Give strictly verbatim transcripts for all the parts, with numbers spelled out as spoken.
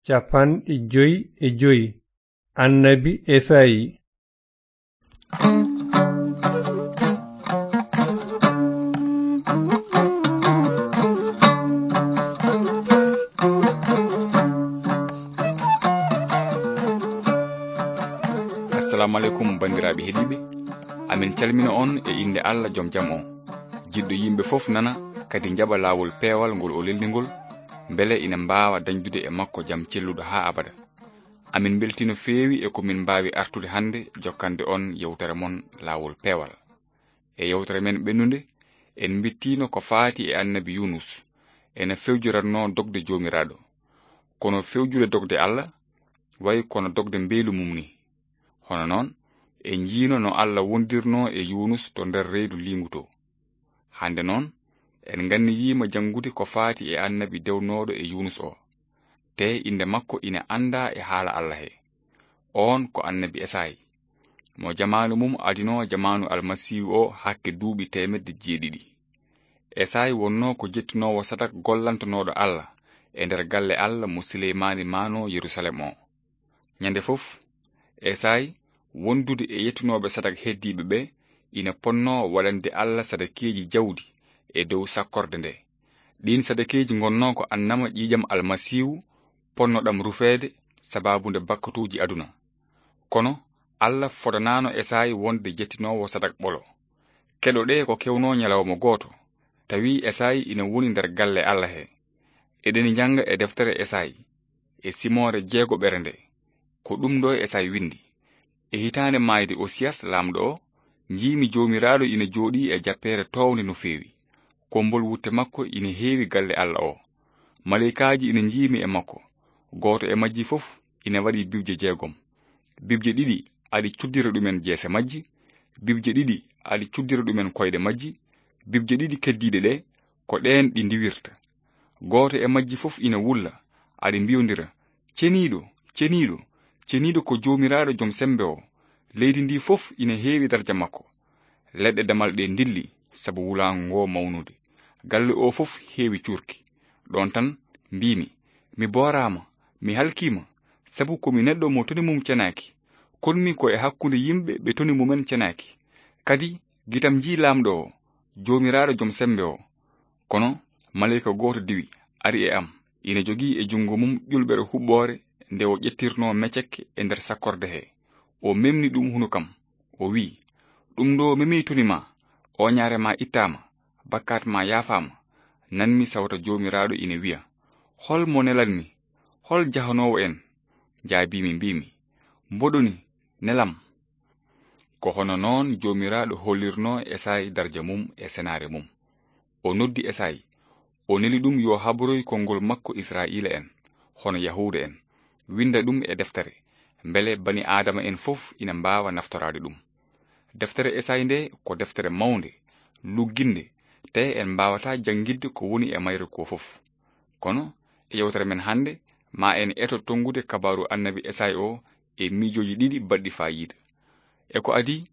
cappanɗe joy e joy. Annabi Esayi. Assalamu aleykum, banndiraaɓe heɗiiɓe. Amin calmina on e innde Allah, jom jam o, jiɗɗo yimɓe fof nana, kadi njaɓa laawol peewal ngol o lelni ngol, mbele ina mbaawa dañdude e makko jam celluɗo haa abada. Amin mbeltii no feewi e ko min mbaawi artude hannde jokkande on yewtere mon Laawol Peewal. E yewtere men ɓennunde, en mbittiino ko faati e Annabi Yunus, ena fewjoratnoo dogde Joomiraaɗo. Kono fewjude dogde Allah, wayi kono dogde mbeelu mum ni. Hono noon, en njiino no Allah wondirnoo e Yunus to nder reedu liingu to. Hannde noon, en nganniyiima janngude ko faati e Annabi dewnooɗo e Yunus o. Te innde makko ina anndaa e haala Allah he. Oon ko Annabi Esayi, mo jamaanu mum adinoo jamaanu Almasiihu o hakke duuɓi teemedde jeeɗiɗi. Esayi wonnoo ko jettinoowo sadak gollantonooɗo Allah e nder galle Allah mo Sileymaani maanoo Yerusalem o. Ñande fof, Esayi, wondude e yettinooɓe sadak heddiiɓe ɓe, ina ponnoo waɗande Allah sadakeeji jawdi e dow sakkorde nde. Ɗiin sadakeeji ngonnoo ko annama ƴiiƴam Almasiihu, ponnoɗam rufeede sabaabu nde bakkatuuji aduna. Kono Allah fodanaano Esayi wonde jettinoowo sadak ɓolo. Keɗoɗee ko kewnoo ñalawma gooto, tawi Esayi ina woni nder galle Allah he. Eɗeni njannga e deftere Esayi, e simoore jeegoɓere nde. Ko ɗum ɗo Esayi winndi. E hitaande maayde Osiyas laamɗo o, njiimi Joomiraaɗo ina jooɗii e jappeere toownde no feewi. Kommbol wutte makko ina heewi galle Allah o. Maleykaaji ina njiimi e makko, gooto e majji fof ina waɗi bibje jeegom. Bibje ɗiɗi aɗi cuddira ɗumen jeese majji, bibje ɗiɗi aɗi cuddira ɗumen koyɗe majji, bibje ɗiɗi keddiiɗe ɗe, ko ɗeen ɗi ndiwirta. Gooto e majji fof ina wulla, aɗi mbiyondira, "Ceniiɗo, ceniiɗo, ceniiɗo ko Joomiraaɗo Jom Semmbe o. Leydi ndi fof ina heewi darja makko." Leɗɗe damal ɗe ndilli sabu wulaango ngo mawnude. Galle o fof heewi cuurki. Ɗoon tan mbiimi, "Mi booraama, mi halkiima, sabu ko mi neɗɗo mo toni mum cenaaki. Konmi ko e hakkunde yimɓe ɓe toni mumen cenaaki." Kadi gitam njii laamɗo o, Joomiraaɗo Jom Semmbe o. Kono maleyka gooto diwi, ari e am. Ina jogii e junngo mum ƴulɓere huɓɓoore nde o ƴettirnoo mecek e nder sakkorde he. O memni ɗum hunuko am, o wiyi, "Ɗum ɗo memii toni ma, ooñaare ma ittaama, bakkaat ma yaafaama." Nanmi sawta Joomiraaɗo ina wiya, "Hol mo nelanmi? Hol jahanoowo en?" Jaabiimi, mbiimi, "Mboɗo ni, nelam." Ko hono noon Joomiraaɗo hollirnoo Esayi darja mum e senaare mum. O noddi Esayi, o neli ɗum yo habroy konngol makko Israa'iila en, hono Yahuuda en, winnda ɗum e deftere, mbele bani Aadama en fof ina mbaawa naftoraade ɗum. Deftere Esayi nde ko deftere mawnde, lugginnde, te en mbaawataa janngitde ko woni e mayre ko fof. Kono e yewtere men hannde, ma en eto tonngude kabaaru Annabi Esayi o e miijooji ɗiɗi baɗɗi faayiida. E ko adii,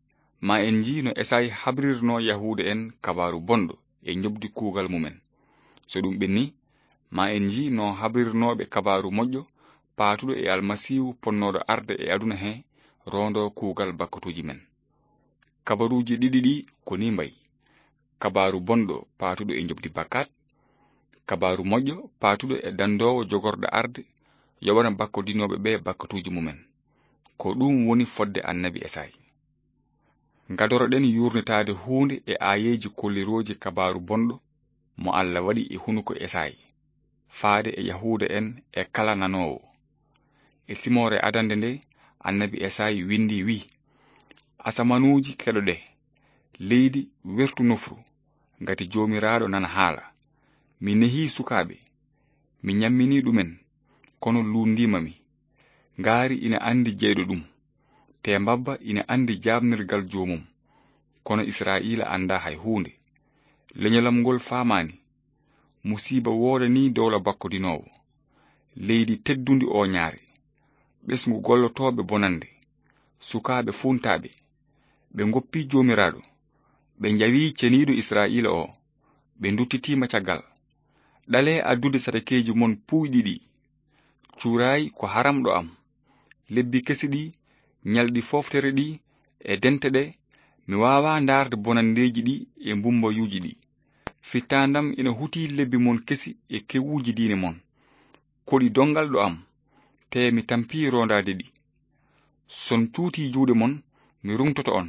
ma en njii no Esayi habrirnoo Yahuuda en kabaaru bonɗo e njoɓdi kuugal mumen. So ɗum ɓenni, ma en njii no habrirnooɓe kabaaru moƴƴo paatuɗo e Almasiihu ponnooɗo arde e aduna he roondoo kuugal bakkatuuji men. Kabaruuji ɗiɗi ɗi ko ni mbayi: kabaaru bonɗo paatuɗo e njoɓdi bakkaat, kabaaru moƴƴo paatuɗo e dandoowo jogorɗo arde yoɓana bakkodinooɓe ɓe bakkatuuji mumen. Ko ɗum woni fodde Annabi Esayi. Ngadoroɗen yuurnitaade huunde e aayeeji kollirooji kabaaru bonɗo mo Allah waɗi e hunuko Esayi, faade e Yahuuda en e kala nanoowo. E simoore adannde nde, Annabi Esayi winndi, wiyi, "Asamanuuji keɗoɗe, leydi wertu nofru, ngati Joomiraaɗo nana haala. Mi nehii sukaaɓe, mi ñamminii ɗumen, kono luunndiima mi. Ngaari ina anndi jeyɗo ɗum, te mbabba ina anndi jaaɓnirgal joomum, kono Israa'iila anndaa hay huunde. Leñolam ngol faamaani. Musiiba woodanii dowla bakkodinoowo. Leydi teddundi ooñaare. Ɓesngu gollotooɓe bonannde. Sukaaɓe fuuntaaɓe. Ɓe ngoppii Joomiraaɗo. Ɓe njawii Ceniiɗo Israa'iila o. Ɓe nduttitiima caggal. Ɗalee addude sadakeeji mon puuyɗi ɗi." Cuuraay ko haram ɗo am. Lebbi kesi ɗi, ñalɗi fooftere ɗi, e dente ɗe, mi waawaa ndaarde bonanndeeji ɗi e mbumbayuuji ɗi. Fittaandam ina huti lebbi mon kesi e kewuuji diine mon. Koɗi donngal ɗo am, tee mi tampii roondaade ɗi. Son cuutii juuɗe mon, mi ruŋtoto on.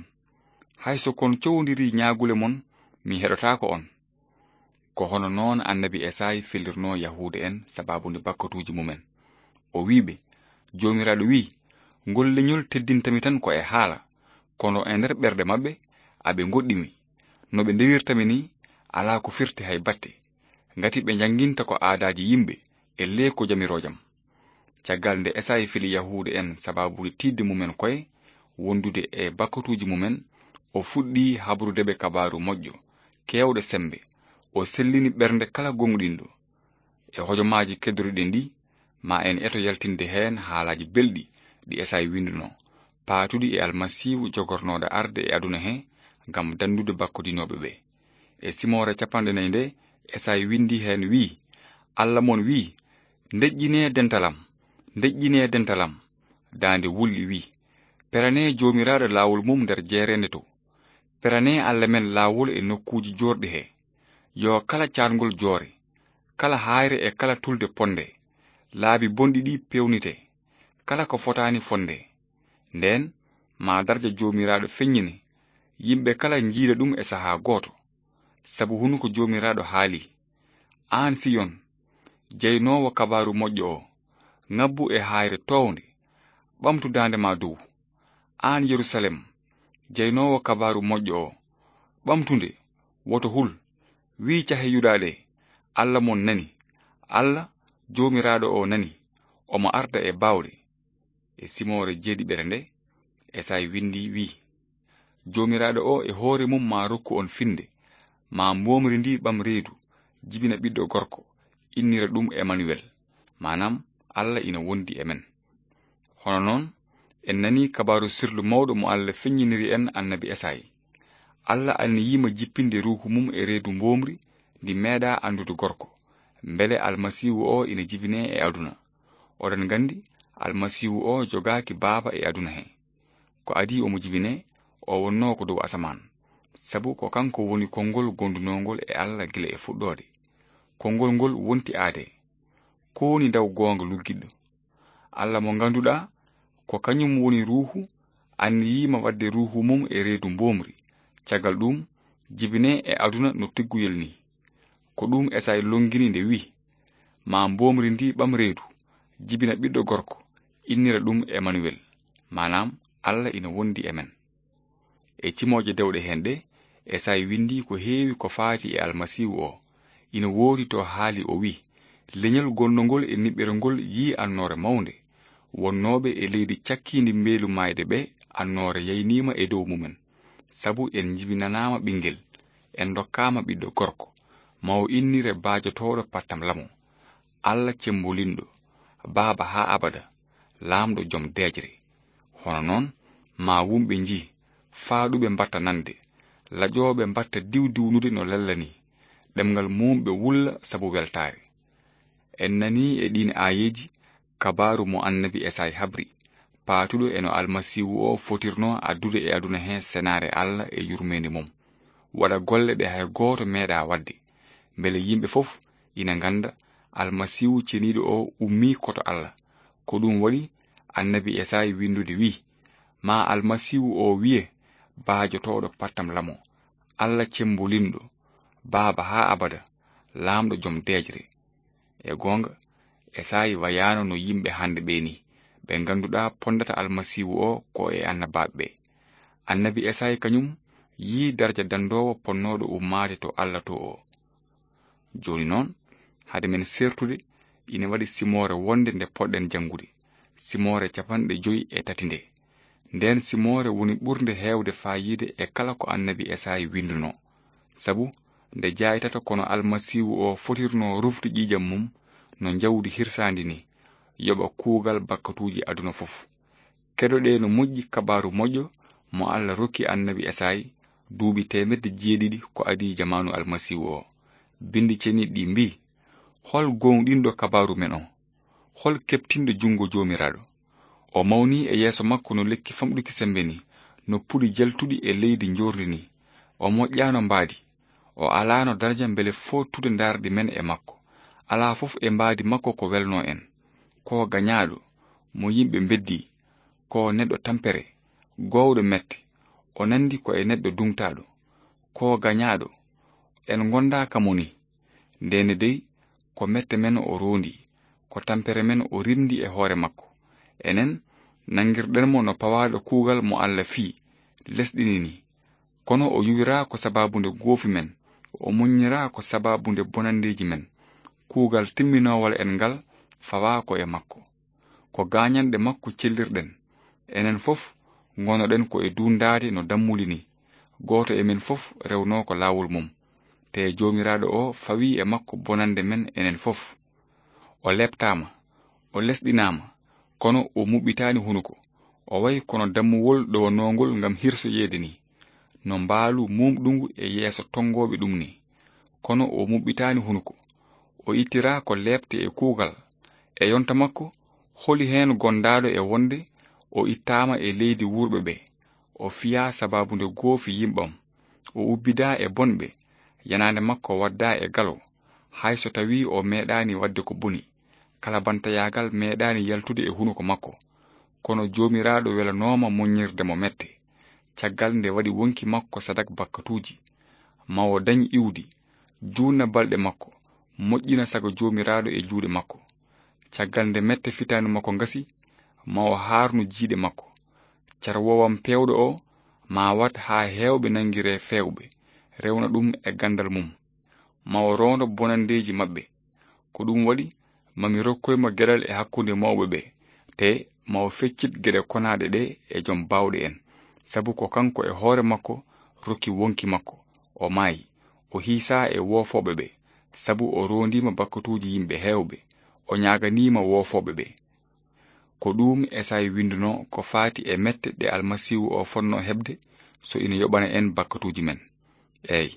Hay so kon cowondirii ñaagule mon, mi heɗotaako on. Ko hono noon annabi Esay felirnoo Yahuuda en sabaabu nde bakkatuuji mumen. O wi'i ɓe, Joomiraaɗo wi'i, ngol leñol teddinta mi tan ko e haala, kono e nder ɓerɗe maɓɓe aɓe ngoɗɗi mi. No ɓe ndewirta mi ni, alaa ko firti hay batte. Ngati ɓe njannginta ko aadaaji yimɓe e lee ko jamiroojam. Caggal nde Esay feli Yahuuda en sabaabu tiiɗde mumen koye wondude e bakkatuuji mumen, o fuɗɗi habrude ɓe kabaaru moƴƴo, keewɗo semmbe. O sellini ɓernde kala gooŋɗinɗo. E hojomaaji keddoruɗen ɗi, ma en eto yaltinde heen haalaaji belɗi ɗi Esay winndunoo, paatuɗi e Almasiihu jogornooɗo arde e aduna he ngam danndude bakkodinooɓe ɓe. E simoore capanɗe nayi nde, Esay winndi heen wi'i, Alla mon wi'i, ndeƴƴinee dental am, ndeƴƴinee dental am. Daande wulɗi wi'i, peranee Joomiraaɗo laawol mum nder jeereende to. Peranee Alla men laawol e nokkuuji joorɗi he. Yo kala caatngol joore, kala haayre e kala tulde ponde. Laabi bonɗi ɗi peewnite, kala ko fotaani fonde. Ndeen, maa darja Joomiraaɗo feññine, yimɓe kala njiida ɗum e sahaa gooto. Sabu hunuko Joomiraaɗo haali, aan Siyon, jeynoowo kabaaru moƴƴo o, ŋabbu e haayre toownde, ɓamtu daande ma dow. Aan Yerusalem, jeynoowo kabaaru moƴƴo o, ɓamtu nde, woto hul. Wi'i cahe Yuda ɗe, Alla mon nani, Alla Joomiraaɗo o nani, omo arda e baawɗe. E simoore jeeɗiɓere nde, Esay winndi wi'i, Joomiraaɗo o e hoore mum maa rokku on finnde, maa mboomri ndi ɓam reedu, jibina ɓiɗɗo gorko, innira ɗum Emanuwel, maanaam Alla ina wondi e men. Hono noon, en nanii kabaaru sirlu mawɗo mo Alla feññiniri en annabi Esay. Alla anniyii ma jippinde Ruuhu mum e reedu mboomri ndi meeɗaa anndude gorko, mbele Almasiihu o ina jibinee e aduna. Oɗon nganndi, Almasiihu o jogaaki baaba e aduna he. Ko adii omo jibinee, o wonnoo ko dow asamaan. Sabu ko kanko woni konngol gondunoongol e Alla gila e fuɗɗoode. Konngol ngol wonti aadee. Ko woni ndaw goonga luggiɗɗo? Alla mo ngannduɗaa, ko kañum woni Ruuhu, anniyii ma waɗde Ruuhu mum e reedu mboomri. Caggal ɗum, jibinee e aduna no tigguyel ni. Ko ɗum Esay longini nde wi'i, maa mboomri ndi ɓam reedu, jibina ɓiɗɗo gorko, innira ɗum Emanuwel, maanaam Alla ina wondi e men. E cimooje dewɗe heen ɗe, Esay winndi ko heewi ko faati e Almasiihu o. Ina woodi to haali o wi'i, leñol gonnongol e niɓɓere ngol yi'i annoore mawnde. Wonnooɓe e leydi cakkiindi mbeelu maayde ɓe, annoore yayniima e dow mumen. Sabu en njibinanaama ɓinngel, en ndokkaama ɓiɗɗo gorko, ma o innire baajotooɗo pattam lamo, Alla cemmbolinɗo, baaba haa abada, laamɗo jom deeƴre. Hono noon, maa wumɓe njii, faaɗuɓe mbatta nande, laƴooɓe mbatta diwdiwnude no lella ni, ɗemngal mum ɓe wulla sabu weltaare. En nanii e ɗiin aayeeji kabaaru mo annabi Esay habri, paatuɗo e no Almasiihu o fotirnoo addude e aduna he senaare Alla e yurmeende mum, waɗa golle ɗe hay gooto meeɗaa waɗde, mbele yimɓe fof ina ngannda Almasiihu ceniiɗo o ummii ko to Alla. Ko ɗum waɗi annabi Esay winndude wi'i, maa Almasiihu o wi'e baajotooɗo pattam lamo, Alla cemmbolinɗo, baaba haa abada, laamɗo jom deeƴre. E goonga, Esay wayaano no yimɓe hannde ɓee ni, ɓe ngannduɗaa ponndata Almasiihu o ko e annabaaɓe ɓe. Annabi Esay kañum yi'i darja danndoowo ponnooɗo ummaade to Alla to o. Jooni noon, hade men sertude, ina waɗi simoore wonde nde poɗɗen janngude, simoore capanɗe joy e tati nde. Ndeen simoore woni ɓurnde heewde faayiida e kala ko annabi Esay winndunoo. Sabu, nde jaaytata kono Almasiihu o fotirnoo rufde ƴiiƴam mum no njawdi hirsaandi ni, yoɓa kuugal bakkatuuji aduna fof. Keɗoɗee no moƴƴi kabaaru moƴƴo mo Alla rokki annabi Esay duuɓi teemedde jeeɗiɗi ko adii jamaanu Almasiihu o. Binndi ceniiɗi ɗi mbii, hol gooŋɗinɗo kabaaru men o? Hol keɓtinɗo junngo Joomiraaɗo? O mawni e yeeso makko no lekki famɗuki semmbe ni, no puɗi jaltuɗi e leydi njoorndi ni. O moƴƴaano mbaadi, o alaano daraja mbele footude ndaarɗi men e makko. Alaa fof e mbaadi makko ko welnoo en. Ko gañaaɗo, mo yimɓe mbeddi, ko neɗɗo tampere, goowɗo mette, o nanndi ko e neɗɗo duŋtaaɗo. Ko gañaaɗo, en ngondaa ka mo ni. Ndeen dey, ko mette men o roondi, ko tampere men o rimndi e hoore makko. Enen, nanngirɗen mo no pawaaɗo kuugal mo Alla fii, lesɗini ni. Kono o yuwiraa ko sabaabu nde goofi men, o muññiraa ko sabaabu nde bonanndeeji men. Kuugal timminoowal en ngal fawaa ko e makko. Ko gaañanɗe makko cellirɗen. Enen fof ngonoɗen ko e duundaade no dammuli ni. Gooto e men fof rewnoo ko laawol mum. Te Joomiraaɗo o fawii e makko bonannde men enen fof. O leeptaama, o lesɗinaama, kono o muɓɓitaani hunuko. O wayi kono dammuwol ɗowanoongol ngam hirsoyeede ni, no mbaalu muumɗungu e yeeso tonngooɓe ɗum ni. Kono o muɓɓitaani hunuko. O ittiraa ko leepte e kuugal. E yonta makko, holi heen gondaaɗo e wonde o ittaama e leydi wuurɓe ɓe? O fiyaa sabaabu nde goofi yimɓam. O ubbidaa e bonɓe. Yanaande makko waddaa e galo, hay so tawii o meeɗaani waɗde ko boni. Kala bantayaagal meeɗaani yaltude e hunuko makko. Kono Joomiraaɗo welanooma muññirde mo mette. Caggal nde waɗi wonki makko sadak bakkatuuji, ma o dañ iwdi, juutna balɗe makko, moƴƴina sago Joomiraaɗo e juuɗe makko. Caggal nde mette fitaandu makko ngasi, ma o haarnu jiiɗe makko. Carwoowam peewɗo o, ma wat haa heewɓe nanngiree feewɓe, rewna ɗum e ganndal mum. Ma o roondo bonanndeeji maɓɓe. Ko ɗum waɗi, ma mi rokkoy mo geɗal e hakkunde mawɓe ɓe, te ma o feccit geɗe konaaɗe ɗe e jom baawɗe en. Sabu ko kanko e hoore makko rokki wonki makko. O maayi, o hiisaa e woofooɓe ɓe, sabu o roondiima bakkatuuji yimɓe heewɓe, o ñaaganiima woofooɓe ɓe. Ko ɗuum Esayi winndunoo ko faati e mette ɗe Almasiihu o fotnoo heɓde so ina yoɓana en bakkatuuji men. Eey,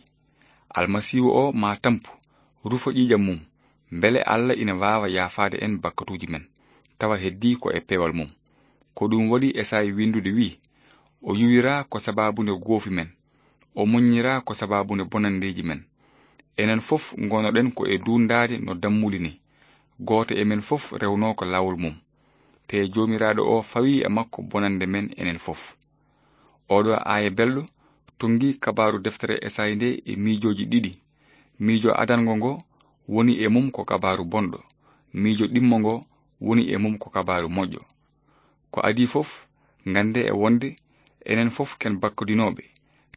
Almasiihu o maa tampu, rufa ƴiiƴam mum, mbele Alla ina waawa yaafaade en bakkatuuji men, tawa heddii ko e peewal mum. Ko ɗuum waɗi Esayi winndude wi'i, o yuwiraa ko sabaabu nde goofi men, o muññiraa ko sabaabu nde bonanndeeji men. Enen fof ngonoɗen ko e duundaade no dammuli ni. Gooto e men fof rewnoo ko laawol mum. Te Joomiraaɗo o fawii e makko bonannde men enen fof. Oɗo aaya belɗo tonngi kabaaru deftere Esayi nde e miijooji ɗiɗi. Miijo adango ngo woni e mum ko kabaaru bonɗo. Miijo ɗimmo ngo woni e mum ko kabaaru moƴƴo. Ko adii fof, nganndee e wonde enen fof ken bakkodinooɓe,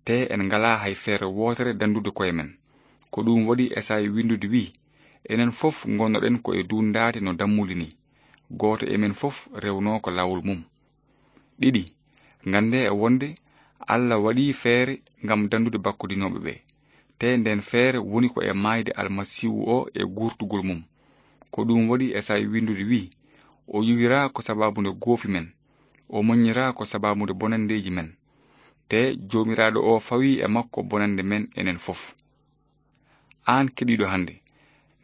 te en ngalaa hay feere wootere danndude koye men. Ko ɗuum waɗi Esayi winndude wi'i, enen fof ngonnoɗen ko e duundaade no dammuli ni. Gooto e men fof rewnoo ko laawol mum. Ɗiɗi, nganndee e wonde Alla waɗii feere ngam danndude bakkodinooɓe ɓe, te ndeen feere woni ko e maayde Almasiihu o e guurtugol mum. Ko ɗuum waɗi Esayi winndude wi'i, o yuwiraa ko sabaabu nde goofi men, o muññiraa ko sabaabu nde bonanndeeji men. Te Joomiraaɗo o fawii e makko bonannde men enen fof. Aan keɗiiɗo hannde,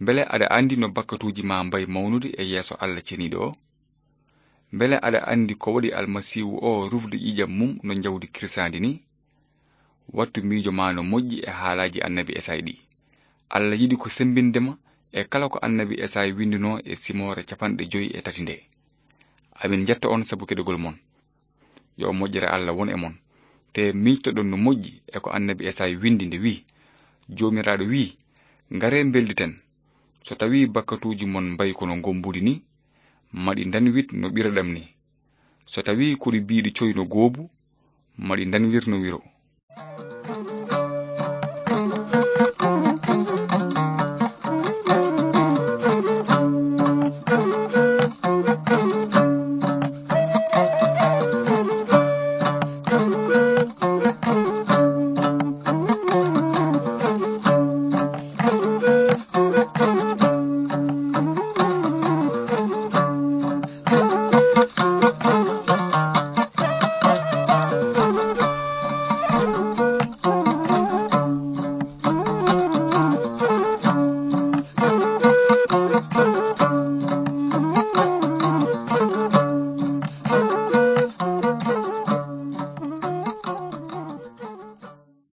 mbele aɗa anndi no bakkatuuji maa mbayi mawnude e yeeso Alla ceniiɗo o? Mbele aɗa anndi ko waɗi Almasiihu o rufde ƴiiƴam mum no njawdi kirsaandi ni? Wattu miijo maa no moƴƴi e haalaaji annabi Esayi ɗi. Alla yiɗi ko semmbinde ma e kala ko annabi Esayi winndunoo e simoore capanɗe joyi e tati nde. Amin njetta on sabu keɗogol mon. Yo moƴƴere Alla won e mon. Te miijtoɗon no moƴƴi e ko annabi Esayi winndi nde wi'i, Joomiraaɗo wi'i, ngaree mbelnditen. So tawii bakkatuuji mon mbayi kono ngombuɗi ni, maɗi ndanwit no ɓiraɗam ni. So tawii koɗi biiɗi coy no goobu, maɗi ndanwir no wiro.